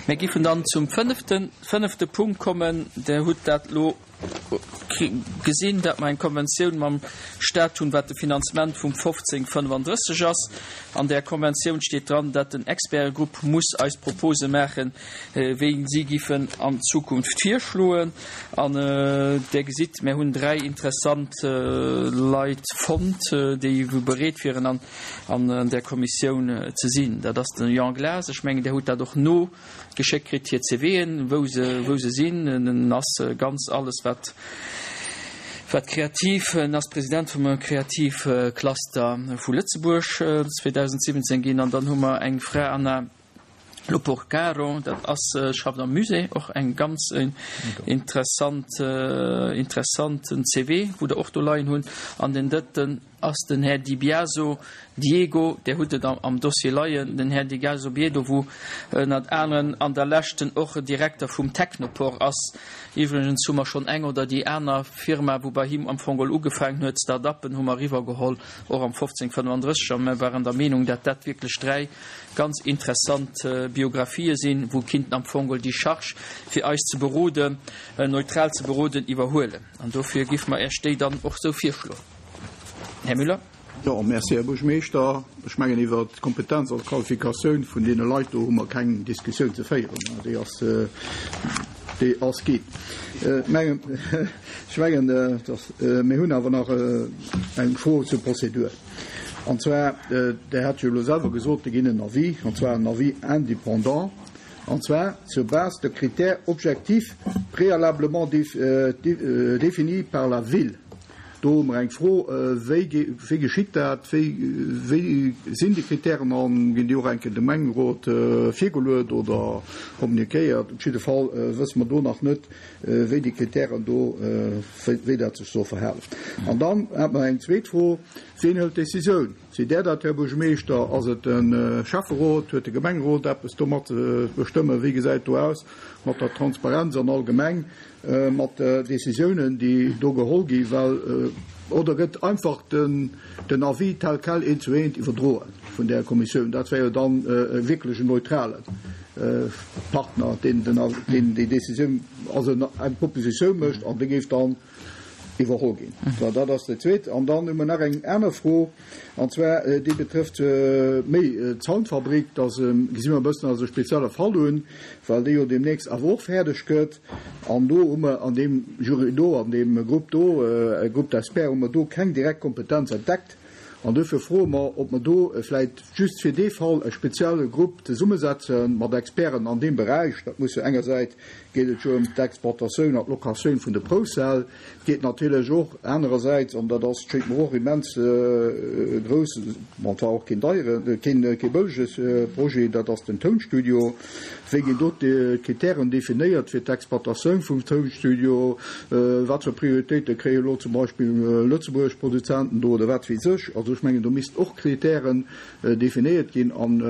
Mir giffen dann zum fënneften, fënnefte Punkt kommen. Der hutt dat elo gesinn, dat mer eng Konventioun mam Stat hunn, wat de Finanzement vum 1535 ass. An där Konventioun steet dran, dat den Expertegrupp muss eis Propose maachen, wéi si giffen an Zukunft virschloen. An Der gesitt, mir hunn dräi interessant Leit fonnt, déi wou bereet wieren an an där Kommissioun ze sinn. Dat ass de Jean Glas, ech mengen, Der hutt dat och nogeschéckt kritt, hir CVen, wou se, wou se sinn. En ass ganz alles wat, wat kreativ, en ass President vum Kreativcluster vu Lëtzebuerg 2017 ginn. An dann hu mer eng Fra, Anna Loporcaro, dat ass, schafft am Musée, och eng ganz interessant, interessanten CV, wou Der och do leien hunn. An den drëtten ass den Här Di Biaso Diego, Där hutt et am Dossier leien, den Här Di Biaso Diego, wou ënnert aneren an der leschten och Direkter vum Technoport ass. Iwwregens hu mer schonn eng oder déi aner Firma, wou bei him am Fong geholl ugefaangen huet, Start-uppen hu mer eriwwergeholl, och am 1535, a mer waren der Meenung, dat dat wierklech dräi ganz interessant Biografië sinn, wou kinnten am Fong geholl déi Charge, fir eis ze beroden, neutral ze beroden, iwwerhuelen. An dofir géife mer Iech déi dann och esou virschloen. Här Müller. Jo, merci, Här Buergermeeschter. Ech mengen, iwwert d'Kompetenz an d'Qualifikatioun vun deene Leit do hu mer keng Diskussioun ze féieren. Déi ass, déi ass ginn. Ech mengen, ech mengen, dass, mir hunn awer nach eng Fro zur Prozedur. An zwar, Der hat jo elo selwer gesot, Der ginn en Avis, an zwar en Avis indépendant, an zwar sur base de critères objectifs préalablement définis par la ville. Do hu mer eng Fro, Wéi, wéi geschitt dat? Wéi, wéi sinn déi Kritären an ginn déi och eng Kéier dem Gemengerot virgeluet oder kommuniquéiert? Op jidde Fall wësse mer do nach net, wéi déi Kritären do, wéi dat sech soll verhalen. An dann hätte mer eng zweet Fro, Wien hëlt d'Decisioun? Sidd Där dat, Här Buergermeeschter? Ass et de Schäfferot? Huet de Gemengerot eppes domat ze bestëmmen? Wéi gesäit do aus mat der Transparenz an allgemeng mat de Decisiounen, déi do geholl ginn? Well, oder gëtt einfach den Avis tel quel eent zu eent iwwerdroe vun där Kommissioun? Dat wär jo dann wierklech en neutrale Partner, deen déi Decisioun, also eng Propositioun mécht an déi géif dann iwwerholl ginn. Dat ass déi zweet. An dann hu mer nach eng aner Fro, an zwar déi betrëfft méi d'Soundfabrik. Dat gesi mer e bëssen als e spezielle Fall un, well déi jo deemnächst awer och fäerdeg gëtt. An do hu mer an deem Jury do, an deem Grupp do, Groupe d'experts, hu mer do keng direkt Kompetenz entdeckt. An duerfir froe mer, ob mer do vläicht just fir dee Fall e spezielle Grupp zesummesetze mat Experten an deem Beräich. Dat muss jo engersäit geet et jo ëm d'Exploitatioun an d'Locatioun vun de Proufsäll, et geet natierlech och anerersäits, an dat ass, schéngt mer och immens grouss, bon, et war och keen deieren, keen, kee bëllege Projet, dat ass den Tounstudio. Wéi ginn do d'Kritären definéiert fir d'Exploitatioun vum Tounstudio? Wat fir Prioritéite kréie elo zum Beispill lëtzebuergesch Produzenten do oder wat weess ech? Also ech mengen, do missten och Kritären definéiert ginn an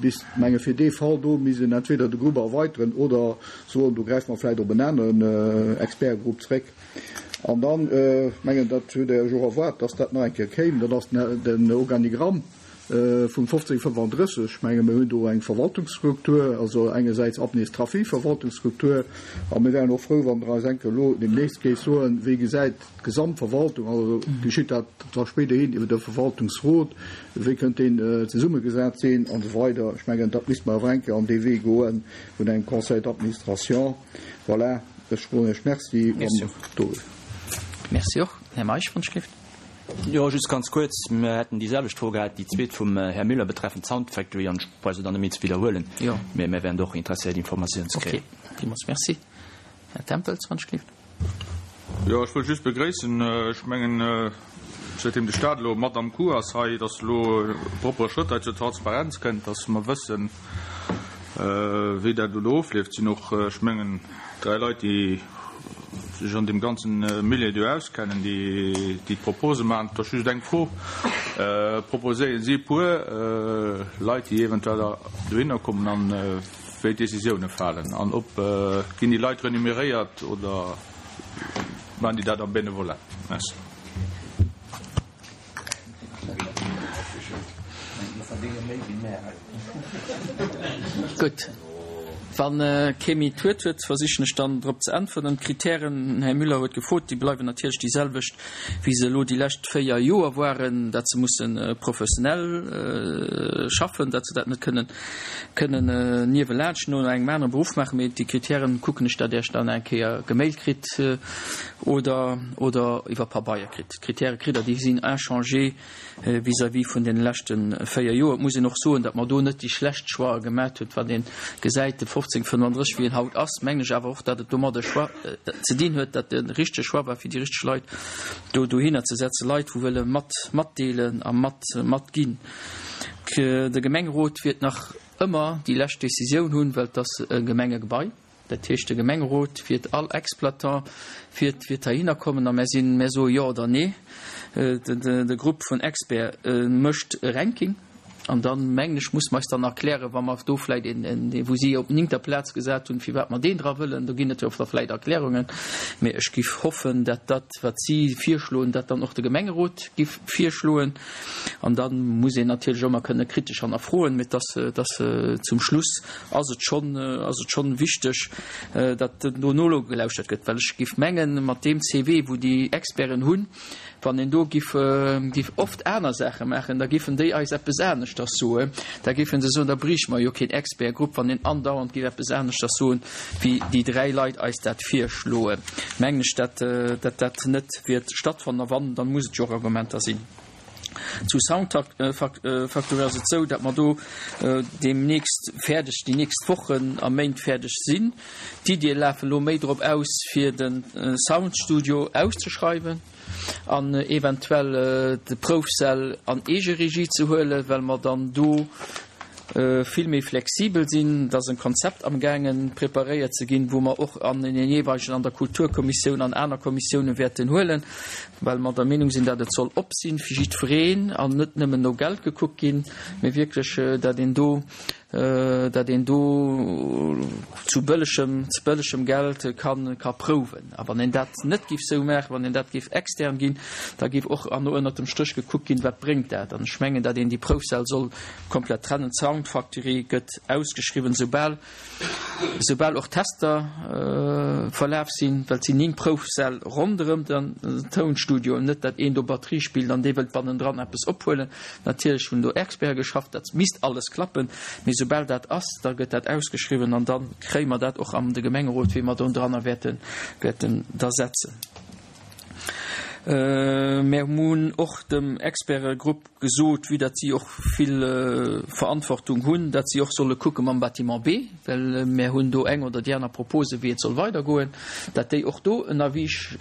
bis, menge fir dee Fall do misst een entweder de Grupp erweiteren oder soen, do gräife mer vläicht op en aneren Expertgrupp zréck. An dann, mengen, dat hutt Der jo och erwaart, dass dat nach eng Kéier kéim, dat ass den Organigramm. Vum 1535, ech menge mir hunn do eng Verwaltungsstruktur, also engersäits administrativ Verwaltungsstruktur, a mir wären och frou, wann Der eis eng Kéier elo deemnächst géift soen, wéi gesäit d'Gesamtverwaltung, also geschitt dat da spéiderhin iwwer de Verwaltungsrot, wéi kënnt deen zesummegesat sinn an esou weider. Ech mengen, dat misste mer awer eng Kéier an dee Wee goe vun engem Conseil d'administration. Voilà, ech soen Iech Merci an do. Merci och. Här Meisch, wann ech géif. Jo, just ganz kuerz, Mir hätten déi selwecht Fro gehat, déi zweet vum Här Müller betreffend d'Sound Factory, an ech brauch se dann net méi ze widderhuelen. Jo. Mee mir wären do och interesséiert, Informatiounen ze kréien. Okay, villmools merci. Här Tempels, wann ech gleeft. Jo, ech wëll just begréissen, ech mengen, säitdeem de Stat elo mat am Coup ass hei, dass elo e proppere Schrëtt hei zur Transparenz kënnt, dass mer wëssen, wéi dat elo ofleeft. Et sinn och, ech mengen, dräi Leit, déi sech an deem ganzen Milieu do auskennen, déi d'Propose maachen. Et ass just eng Fro, Proposéieren si e puer Leit, déi eventuell dohinner kommen an wéi d'Décisioune falen? An ob ginn déi Leit renuméréiert oder maachen déi dat am Bénévolat? Merci. Gutt. Wann kee méi d'Wuert huet, versichen ech dann drop ze äntwerten. D'Kritären, den Här Müller huet gefrot, déi bleiwen natierlech déi selwecht, wéi se elo déi lescht 4 Joer waren, dat se musse professionell schaffen, dat se dat net kënnen kënnen niewelaanscht no engem anere Beruff maachen. Mee déi Kritären kucken ech, dat Iech dann eng Kéier gemailt kritt oder oder iwwer Pabeier kritt. D'Kritäre kritt Der, déi sinn inchangé vis-à-vis vun deene leschte 4 Joer. Et muss een och soen, datt mer do net déi schlecht Choixë gemat hunn. Wann ee gesäit, de 1535, wéi en haut ass, mengen ech awer och, datt et domat e Choix ze dinn huet, datt de richtege Choix war, fir déi richteg Leit do dohinner ze setzen, Leit, wou wëlle mat matdeelen a mat matginn. De Gemengerot wiert nach ëmmer déi lescht Décisioun hunn, well et ass e Gemengegebai. Dat heescht, de Gemengerot wiert all Exploitant wiert wiert heihinner kommen a mär sinn, mär soe Jo oder Nee. De Grupp vun Experts mécht e Ranking an dann, mengen ech, muss mer eis dann erklären, wa mer do vläicht een, een, wou si op néngter Plaz gesat hunn, firwat mer deen dra wëllen. Do ginn et jo da vläicht Erklärungen. Mee ech giff hoffen, dat dat, wat si virschloen, dat dann och de Gemengerot giff virschloen. An da muss een natierlech och ëmmer kënne kritesch hannerfroen, mee dass, dass zum Schluss ass et schonn, ass et schonn wichteg, datt do nogelauschtert gëtt, well ech géif mengen, mat deem CV, wou déi Experten hunn, wann een do giff, giff oft aner Saache maachen, da giffen déi eis eppes aneschters soen. Da géife se soen, da bréiche mer jo keen Expertgrupp, wann een andauernd giff eppes aneschters soen, wéi déi 3 Leit eis dat virschloen. Mengen ech, datt, datt dat net wäert stattfannen. A wann, dann muss et jo och Argumenter sinn. Zu Soundfactory ass et esou, datt mer do deemnächst fäerdeg, déi nächst Wochen a Méint fäerdeg sinn. D'Iddie lafen elo méi drop aus, fir de Soundstudio auszeschreiwen an eventuell de Proufsäll an Eegeregie ze huelen, well mer dann do vill méi flexibel sinn. Et ass e Konzept amgaangen preparéiert ze ginn, wou mer och an den jeeweilegen, an der Kulturkommissioun an aner Kommissioune wäerten huelen, well mer der Meenung sinn, datt et soll op sinn fir jiddwereen an net nëmmen no Geld gekuckt ginn, mee wierklech, datt een do, datt een do zu bëllegem, zu bëllegem Geld kann, ka prouwen. A wann een dat net géif esou maachen, wann een dat géif extern ginn, da géif och an ënnert dem Stréch gekuckt ginn, wat bréngt dat. An ech mengen, datt een déi Proufsäll soll komplett trennen. D'Soundfactory gëtt ausgeschriwwen, soubal soubal och Tester verlaf sinn, well et sinn 9 Proufsäll ronderëm den Tounstudio, net dat een do Batterie spillt an dee wëllt bannendran eppes ophuelen. Natierlech hunn do Experte geschafft, dat misst alles klappen, mee soubal dat ass, da gëtt dat ausgeschriwwen an da kréie mer dat och an de Gemengerot, wéi mer do dranner wäerten wäerten da setzen. Mär hunn och dem Expertegrupp gesot, vue datt si och vill Verantwortung hunn, datt si och solle kucke mam Bâtiment B, well mär hunn do eng oder déi aner Propose wéi et soll weidergoen, datt déi och do en Avis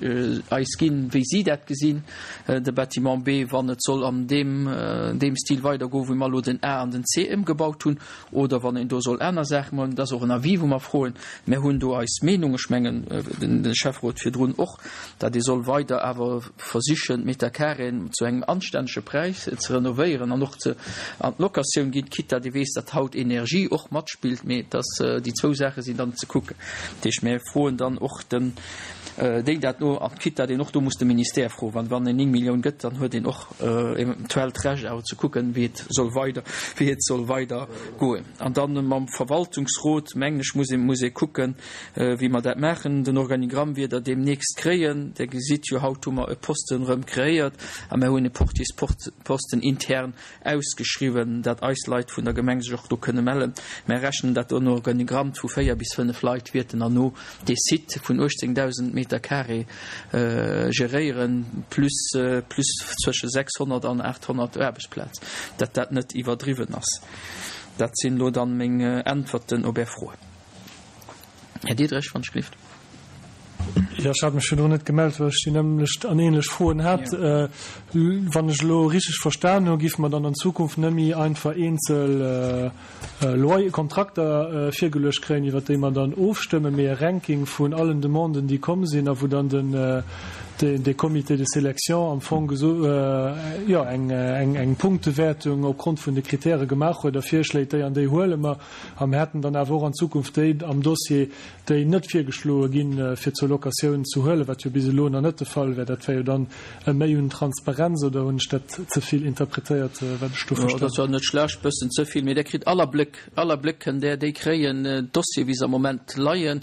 eis ginn, wéi si dat gesinn, de Bâtiment B, wann et soll an deem deem Stil weidergoen, wéi mer elo den A an den C ëmgebaut hunn, oder wann een do soll aner Saache maachen. Dat ass och en Avis, wou mer froen. Mär hunn do eis Meenung, ech mengen de Schäfferot virdrun och, datt ee soll weider awer versichen, d'Meterkaréen zu engem anstännege Präis ze renovéieren an och ze an d'Locatioun ginn, quitte datt ee weess, datt haut Energie och matspillt, mee dass déi zwou Saache sinn dann ze kucken. Dat heescht, mir froen dann och den déi dat no, an quitte datt een och do muss de Ministère froen, wann wann een 9 Millioun gëtt, dann huet een och eventuell d'Recht awer ze kucken, wéi et soll weider wéi et soll weider goen. An dann mam Verwaltungsrot, mengen ech, muss ee muss ee kucken, Wéi mer dat maachen, den Organigramm wiert Der deemnächst kréien. Der gesitt jo, haut hu mer e Posten erëm kreéiert a mer hunn e Portiersposten intern ausgeschriwwen, dat eis Leit vun der Gemeng sech och do kënne mellen. Mer rechnen, dat en Organigramm vu 4 bis 5 Leit wierten erno dee Site vun 18.000 Meter carré geréieren, plus, plus zwësche 600 an 800 Aarbechtsplaz, dat dat net iwwerdriwwen ass. Dat sinn elo dann meng Äntwerten op Är Froen. Här Diderich, wann ech gelift. Jo, ech hat mech virdrun net gemellt, well ech déi nämmlecht an ähnlech Froen hat. Wann ech elo richteg verstan hu, géife mer dann an Zukunft net méi einfach eenzel Loyer, Kontrakter virgeluecht kréien, iwwert déi mer dann ofstëmmen, mee e Ranking vun allen Demanden, déi komm sinn a wou dann den, dee Comité de sélection am Fong geso, jo, eng, eng Punktewäertung opgrond vun de Kritäre gemaach huet a virschléit, déi an déi huele mer. A mir hätten dann awer och an Zukunft déi am Dossier, déi net virgeschloe ginn, fir zur Locatioun. Informatioun ze huelen, wat jo bis elo nach net de Fall wär. Dat wär jo dann e Méi un Transparenz, oder hunn ech dat ze vill interpretéiert, wat ech do Jo, verstanen dat war net schlecht, bëssen ze vill, mee Der kritt all Abléck, all Abléck kënnt Der déi kréien, d'Dossiere wéi se am Moment leien.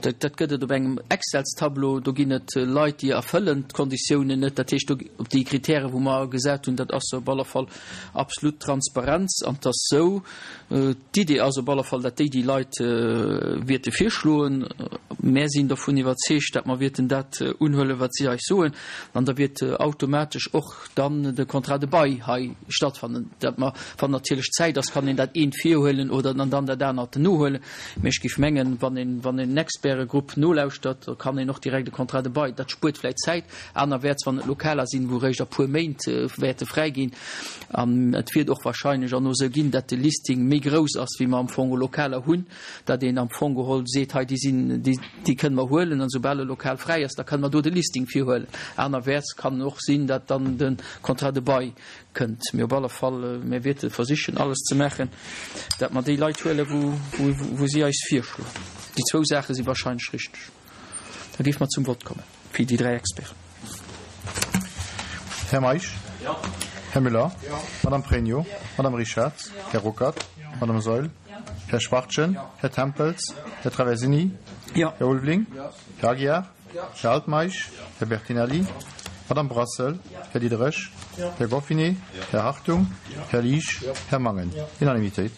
Dat, dat gëtt et op engem Excelstableau, do ginn et Leit, déi erfëllen d'Konditiounen net, dat heescht do op déi Kritäre wou mer gesat hunn, dat ass op alle Fall absolut Transparenz an 't ass sou, D'Idee ass op alle Fall, dat déi déi Leit wierte virschloen. Mär sinn dovun iwwerzeegt, dat mer wierten dat unhuelen, wat si eis soen, an da wiert automatesch och dann de Contrat de bail hei stattfannen. Dat mer, wann natierlech Zäit ass, kann een dat eent virhuelen oder an dann dat anert nohuelen. Mee ech géif mengen, wann een, wann een en Expertegrupp nolauschtert, da kann een och direkt e Contrat de bail, dat spuert vläicht Zäit, anerwäerts wann et Lokaler sinn, wou eréischt a puer Méint wäerte fräi ginn. An et wiert och wahrscheinlech erno esou ginn, datt de Listing méi grouss ass, wéi mer am Fong Lokaler hunn, datt een am Fong geholl seet, hei déi sinn, déi, déi kënne mer huelen an esoubal e Lokal fräi ass, da kënne mer do de Listing virhuelen. Anerwäerts kann och sinn, datt dann de Contrat de bail kënnt. Mee op alle Fall, mir wäerte versichen alles ze maachen, datt mer déi Leit huelen, wou, wou, wou si eis virschloen. Déi zwou Saache si wahrscheinlech richteg. Da géife mer zum Vott kommen fir déi 3 Experten. Här Meisch? Här Müller? Madame Pregno? Madame Richard? Här Ruckert? Madame Saeul? Här Schwachtgen? Här Tempels? Här Traversini? Här Ulveling? Här Aguiar? Här Altmeisch? Här Bertinelli? Madame Brassel? Här Diderich? Här Goffinet? Här Hartung? Här Liesch? Här Mangen? Unanimitéit.